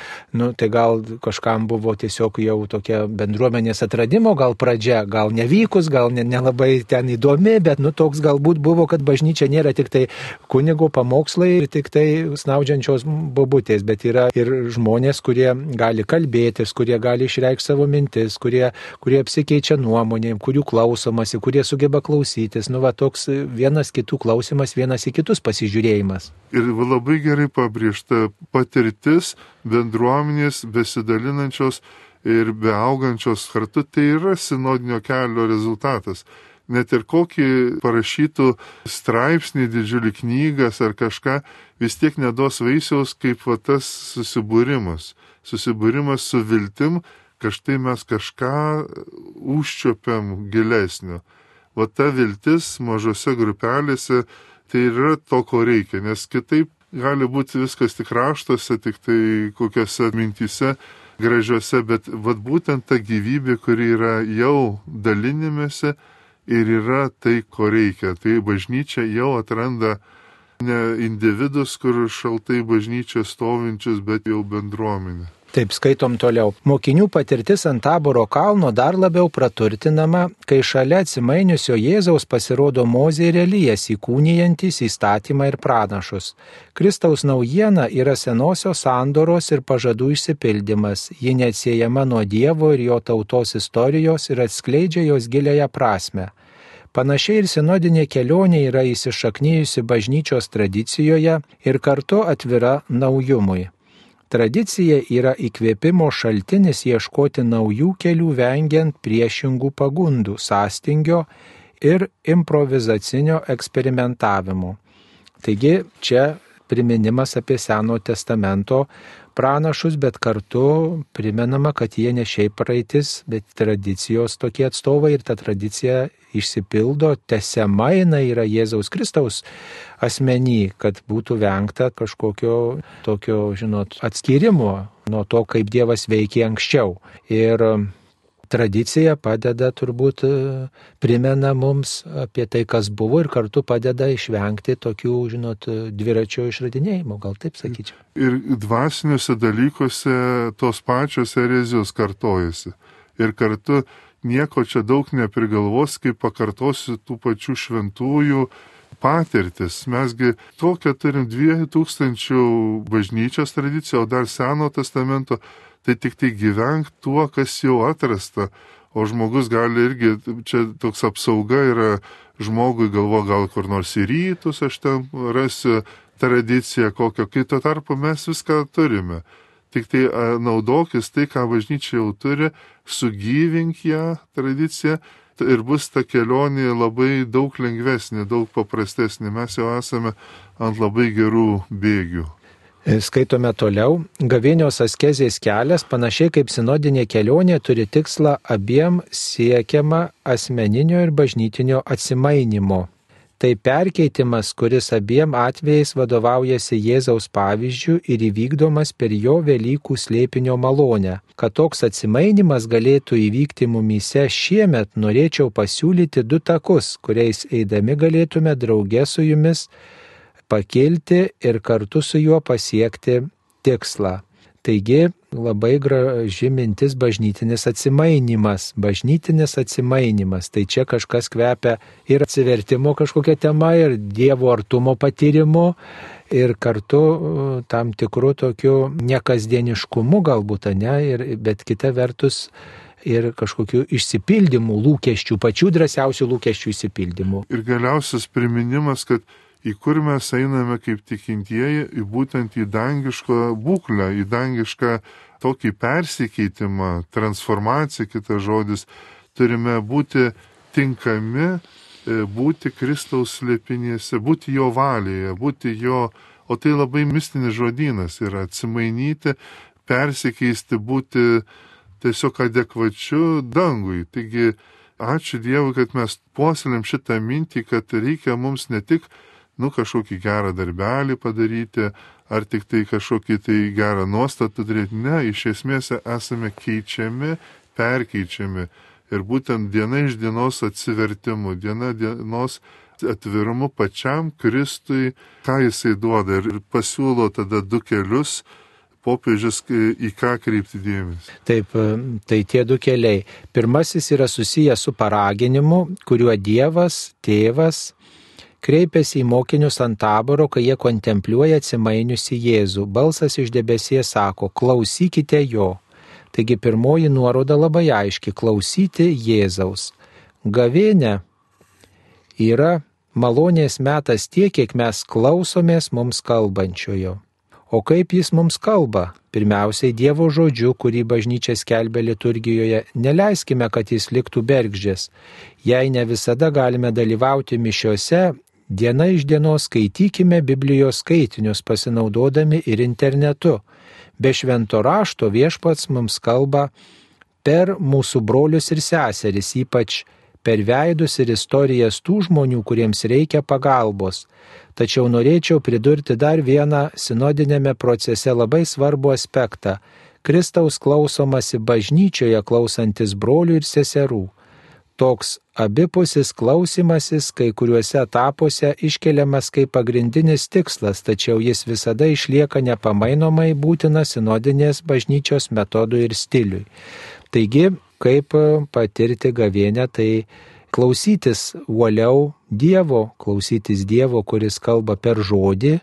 nu, tai gal kažkam buvo tiesiog jau tokia bendruomenės atradimo, gal pradžia, gal nevykus, gal nelabai ne ten įdomi, bet nu, toks galbūt buvo, kad bažnyčia nėra tik tai kunigo pamokslai ir tik tai snaudžiančios bobutės. Bet yra ir žmonės, kurie gali kalbėtis, kurie gali išreikšti savo mintis, kurie, kurie apsikeičia nuomonėm, kurių klausomasi, kurie sugeba klausytis. Nu, va, toks vienas kitų klausimas, vienas į kitus pasižiūrėjimas. Ir labai gerai pabrėžta patirtis bendruomenės besidalinančios ir beaugančios kartu, tai yra sinodinio kelio rezultatas. Net ir kokį parašytų straipsnį, didžiulį knygas ar kažką, vis tiek neduos vaisiaus kaip va, tas susibūrimas. Susibūrimas su viltim, kad štai mes kažką užčiopiam gilesnio. Va ta viltis mažose grupelėse, tai yra to, ko reikia, nes kitaip gali būti viskas tik raštuose, tik tai kokiose mintyse gražiuose, bet va būtent ta gyvybė, kuri yra jau dalinimėse, ir yra tai, ko reikia. Tai bažnyčia jau atranda ne individus, kur šaltai bažnyčia stovinčius, bet jau bendruomenė. Taip, skaitom toliau. Mokinių patirtis ant Taboro kalno dar labiau praturtinama, kai šalia atsimainiusio Jėzaus pasirodo Mozė ir Elijas įkūnijantis įstatymą ir pranašus. Kristaus naujiena yra senosios sandoros ir pažadų išsipildymas. Ji neatsiejama nuo Dievo ir jo tautos istorijos ir atskleidžia jos giliąją prasmę. Panašiai ir sinodinė kelionė yra įsišaknijusi bažnyčios tradicijoje ir kartu atvira naujumui. Tradicija yra įkvėpimo šaltinis ieškoti naujų kelių vengiant priešingų pagundų, sąstingio ir improvizacinio eksperimentavimo. Taigi čia priminimas apie Seno testamento pranašus, bet kartu primenama, kad jie ne šiaip praeitis, bet tradicijos tokie atstovai ir ta tradicija išsipildo, tęsiama jinai yra Jėzaus Kristaus asmenį, kad būtų vengta kažkokio tokio, žinot, atskyrimo nuo to, kaip Dievas veikė anksčiau. Ir tradicija padeda, turbūt primena mums apie tai, kas buvo ir kartu padeda išvengti tokių, žinot, dviračio išradinėjimo, gal taip sakyčiau. Ir dvasiniuose dalykuose tos pačios erezijos kartojasi. Ir kartu nieko čia daug neprigalvos, kaip pakartosiu tų pačių šventųjų patirtis. Mesgi tokią turim dviejų tūkstančių bažnyčios tradiciją, o dar Seno testamento, tai tik tai gyvenk tuo, kas jau atrasta. O žmogus gali irgi, čia toks apsauga yra žmogui, galvo gal kur nors į rytus, aš ten rasiu tradiciją kokią, kai tuo tarpu mes viską turime. tik tai naudokis tai, ką bažnyčia jau turi, sugyvink ją tradiciją ir bus ta kelionė labai daug lengvesnė, daug paprastesnė. Mes jau esame ant labai gerų bėgių. Skaitome toliau. Gavėnios askezės kelias, panašiai kaip sinodinė kelionė, turi tikslą abiem siekiamą asmeninio ir bažnytinio atsimainymo. Tai perkeitimas, kuris abiem atvejais vadovaujasi Jėzaus pavyzdžiu ir įvykdomas per jo Velykų slėpinio malonę. Kad toks atsimainimas galėtų įvykti mumyse šiemet, norėčiau pasiūlyti du takus, kuriais eidami galėtume drauge su jumis pakilti ir kartu su juo pasiekti tikslą. Taigi labai graži mintis bažnytinis atsimainimas. Bažnytinis atsimainimas. Tai čia kažkas kvepia ir atsivertimo kažkokia tema, ir Dievo artumo patyrimo, ir kartu tam tikrų tokių nekasdieniškumų galbūt, ne, ir, bet kita vertus ir kažkokių išsipildymų, lūkesčių, pačių drąsiausių lūkesčių išsipildymų. Ir galiausias priminimas, kad į kur mes einame kaip tikintieji, į būtent į dangišką būklę, į dangišką tokį persikeitimą, transformaciją, kitas žodis, turime būti tinkami, būti Kristaus slėpinėse, būti jo valėje, būti jo, o tai labai mistinis žodynas yra atsimainyti, persikeisti, būti tiesiog adekvačiu dangui. Taigi, ačiū Dievui, kad mes puoselėm šitą mintį, kad reikia mums ne tik nu kažkokį gerą darbelį padaryti, ar tik tai kažkokį tai gerą nuostatą turėti. Ne, iš esmės esame keičiami, perkeičiami. Ir būtent diena iš dienos atsivertimu, diena dienos atvirumu pačiam Kristui, ką jisai duoda. Ir pasiūlo tada du kelius, popiežius į ką kreipti dėmesį. Taip, tai tie du keliai. Pirmasis yra susijęs su paraginimu, kuriuo Dievas, Tėvas, kreipiasi į mokinius ant taboro, kai jie kontempliuoja atsimainiusi Jėzų. Balsas iš debesies sako, klausykite jo. Taigi pirmoji nuoroda labai aiški, klausyti Jėzaus. Gavėnia yra malonės metas tiek, kiek mes klausomės mums kalbančiojo. O kaip jis mums kalba? Pirmiausiai Dievo žodžiu, kurį bažnyčia skelbia liturgijoje, neleiskime, kad jis liktų bergždžias. Jei ne visada galime dalyvauti mišiose, diena iš dienos skaitykime Biblijos skaitinius, pasinaudodami ir internetu. Be švento rašto Viešpats mums kalba per mūsų brolius ir seseris, ypač per veidus ir istorijas tų žmonių, kuriems reikia pagalbos. Tačiau norėčiau pridurti dar vieną sinodinėme procese labai svarbų aspektą – Kristaus klausomasi bažnyčioje klausantis brolių ir seserų. Toks abipusis klausimasis kai kuriuose etapuose iškeliamas kaip pagrindinis tikslas, tačiau jis visada išlieka nepamainomai būtinas sinodinės bažnyčios metodui ir stiliui. Taigi, kaip patirti gavėnią, tai klausytis uoliau Dievo, klausytis Dievo, kuris kalba per žodį,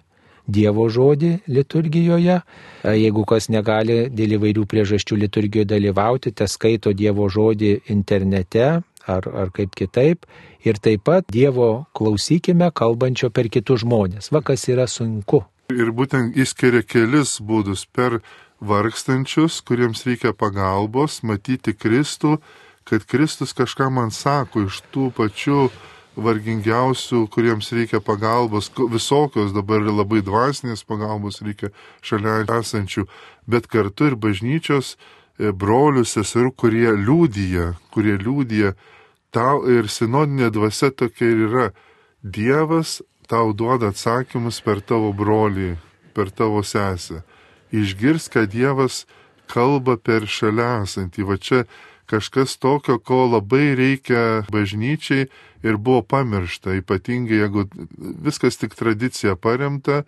Dievo žodį liturgijoje. Jeigu kas negali dėl įvairių priežasčių liturgijoje dalyvauti, te skaito Dievo žodį internete ar, ar kaip kitaip. Ir taip pat Dievo klausykime kalbančio per kitus žmonės. Va, kas yra sunku. Ir būtent išskiria kelis būdus per vargstančius, kuriems reikia pagalbos, matyti Kristų, kad Kristus kažką man sako iš tų pačių vargingiausių, kuriems reikia pagalbos, visokios dabar labai dvasinės pagalbos reikia šalia esančių, bet kartu ir bažnyčios brolių, seserų, kurie liūdija, kurie liūdija tau, ir sinodinė dvasia tokia ir yra. Dievas tau duoda atsakymus per tavo brolį, per tavo sesę. Išgirs, kad Dievas kalba per šalia esantį. Va čia kažkas tokio, ko labai reikia bažnyčiai ir buvo pamiršta, ypatingai jeigu viskas tik tradicija paremta,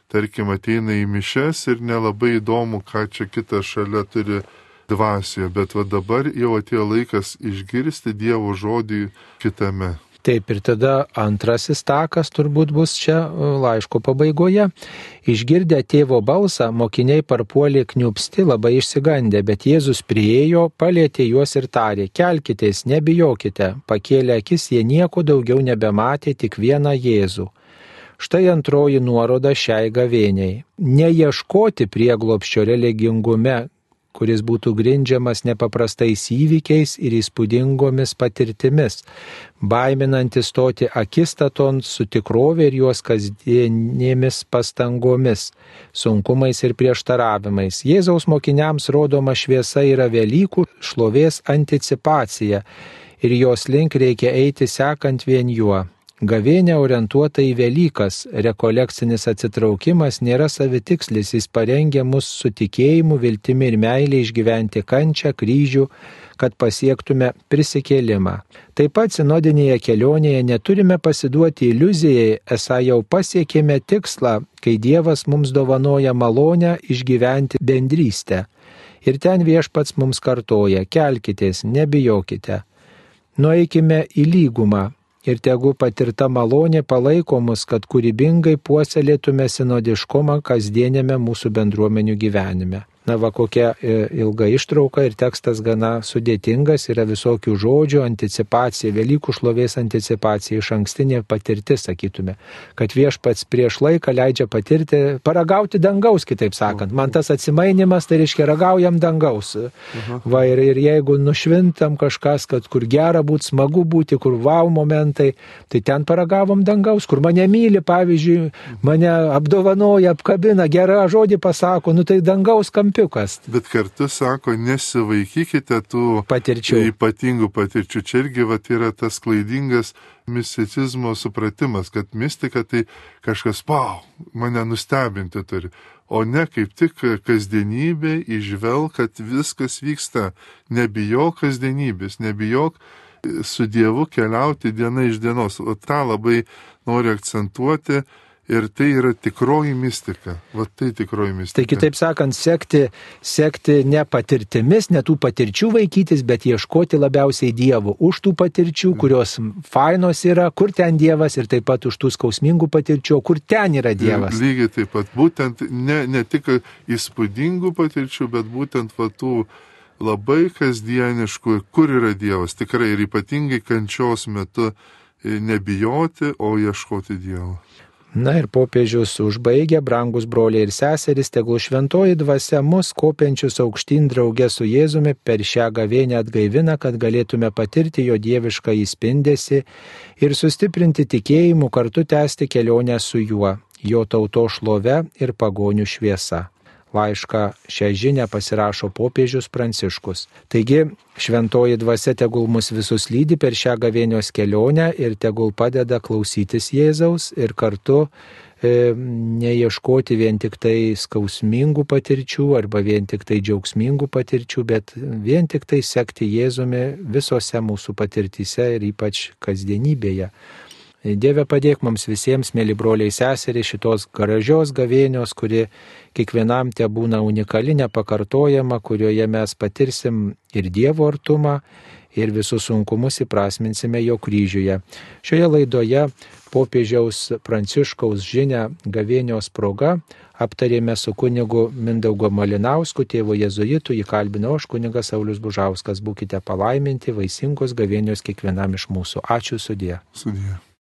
tarkim ateina į mišes ir nelabai įdomu, ką čia kitas šalia turi dvasioje, bet va dabar jau atėjo laikas išgirsti Dievo žodį kitame. Taip, ir tada antrasis takas turbūt bus čia laiško pabaigoje. Išgirdę tėvo balsą, mokiniai parpuolė kniupsti, labai išsigandę, bet Jėzus priėjo, palietė juos ir tarė, kelkitės, nebijokite. Pakėlę akis, jie nieko daugiau nebematė, tik vieną Jėzų. Štai antroji nuoroda šiai gavėniai. Neieškoti prieglobsčio religingume, kuris būtų grindžiamas nepaprastais įvykiais ir įspūdingomis patirtimis, baiminantis stoti akistaton su tikrovė ir jos kasdienėmis pastangomis, sunkumais ir prieštaravimais. Jėzaus mokiniams rodoma šviesa yra Velykų šlovės anticipacija ir jos link reikia eiti sekant vien juo. Gavėnė orientuota į Velykas, rekolekcinis atsitraukimas nėra savitikslis, jis parengia mus su tikėjimu, viltimi ir meilė išgyventi kančią, kryžių, kad pasiektume prisikėlimą. Taip pat sinodinėje kelionėje neturime pasiduoti iliuzijai, esą jau pasiekėme tikslą, kai Dievas mums dovanoja malonę išgyventi bendrystę. Ir ten Viešpats mums kartoja: kelkitės, nebijokite, nueikime į lygumą. Ir tegu patirta malonė palaiko mus, kad kūrybingai puoselėtume sinodiškumą kasdienėme mūsų bendruomenių gyvenime. Na va, kokia ilga ištrauka ir tekstas gana sudėtingas, yra visokių žodžių, anticipacija, Velykų šlovės anticipacija, iš ankstinė patirtis, sakytume, kad Viešpats prieš laiką leidžia patirti, paragauti dangaus, kitaip sakant. Man tas atsimainimas, tai reiškia ragaujam dangaus. Uh-huh. Va, ir, ir jeigu nušvintam kažkas, kad kur gera būti, smagu būti, kur vau momentai, tai ten paragavom dangaus, kur mane myli, pavyzdžiui, mane apdovanoja, apkabina, gerą žodį pasako, nu tai dangaus kampi. Bet kartu sako, nesivaikykite tų patirčių. Ypatingų patirčių. Čia irgi vat, yra tas klaidingas misticizmo supratimas, kad mistika tai kažkas, pau, mane nustebinti turi. O ne kaip tik kasdienybė įžvelg, kad viskas vyksta. Nebijok kasdienybės, nebijok su Dievu keliauti diena iš dienos. O tą labai noriu akcentuoti. Ir tai yra tikroji mistika. Va tai tikroji mistika. Tai kitaip sakant, sekti, sekti ne patirtimis, ne tų patirčių vaikytis, bet ieškoti labiausiai Dievo. Už tų patirčių, kurios fainos yra, kur ten Dievas, ir taip pat už tų skausmingų patirčių, kur ten yra Dievas. Ir lygiai taip pat. Būtent ne, ne tik įspūdingų patirčių, bet būtent va tų labai kasdieniškų, kur yra Dievas. Tikrai ir ypatingai kančios metu nebijoti, o ieškoti Dievo. Na ir popiežius užbaigia: brangus broliai ir seserys, tegul šventoji dvasia mus kopiančius aukštyn drauge su Jėzumi per šią gavėnę atgaivina, kad galėtume patirti jo dievišką įspindesį ir sustiprinti tikėjimu, kartu tęsti kelionę su juo, jo tautos šlove ir pagonių šviesa. Laišką šią žinią pasirašo popiežius Pranciškus. Taigi, šventoji dvasia tegul mus visus lydi per šią gavėnios kelionę ir tegul padeda klausytis Jėzaus ir kartu e, neieškoti vien tik tai skausmingų patirčių arba vien tik tai džiaugsmingų patirčių, bet vien tik tai sekti Jėzumi visose mūsų patirtyse ir ypač kasdienybėje. Dieve, padėk mums visiems, mėly broliai seserys, šitos gražios gavėnios, kuri kiekvienam te būna unikali, nepakartojama, kurioje mes patirsim ir Dievo artumą, ir visus sunkumus įprasminsime jo kryžiuje. Šioje laidoje popiežiaus Pranciškaus žinią gavėnios proga aptarėme su kunigu Mindaugu Malinausku, tėvu jėzuitu, jį kalbinau aš, kunigas Saulius Bužauskas. Būkite palaiminti, vaisingos gavėnios kiekvienam iš mūsų. Ačiū, sudie. Sudie.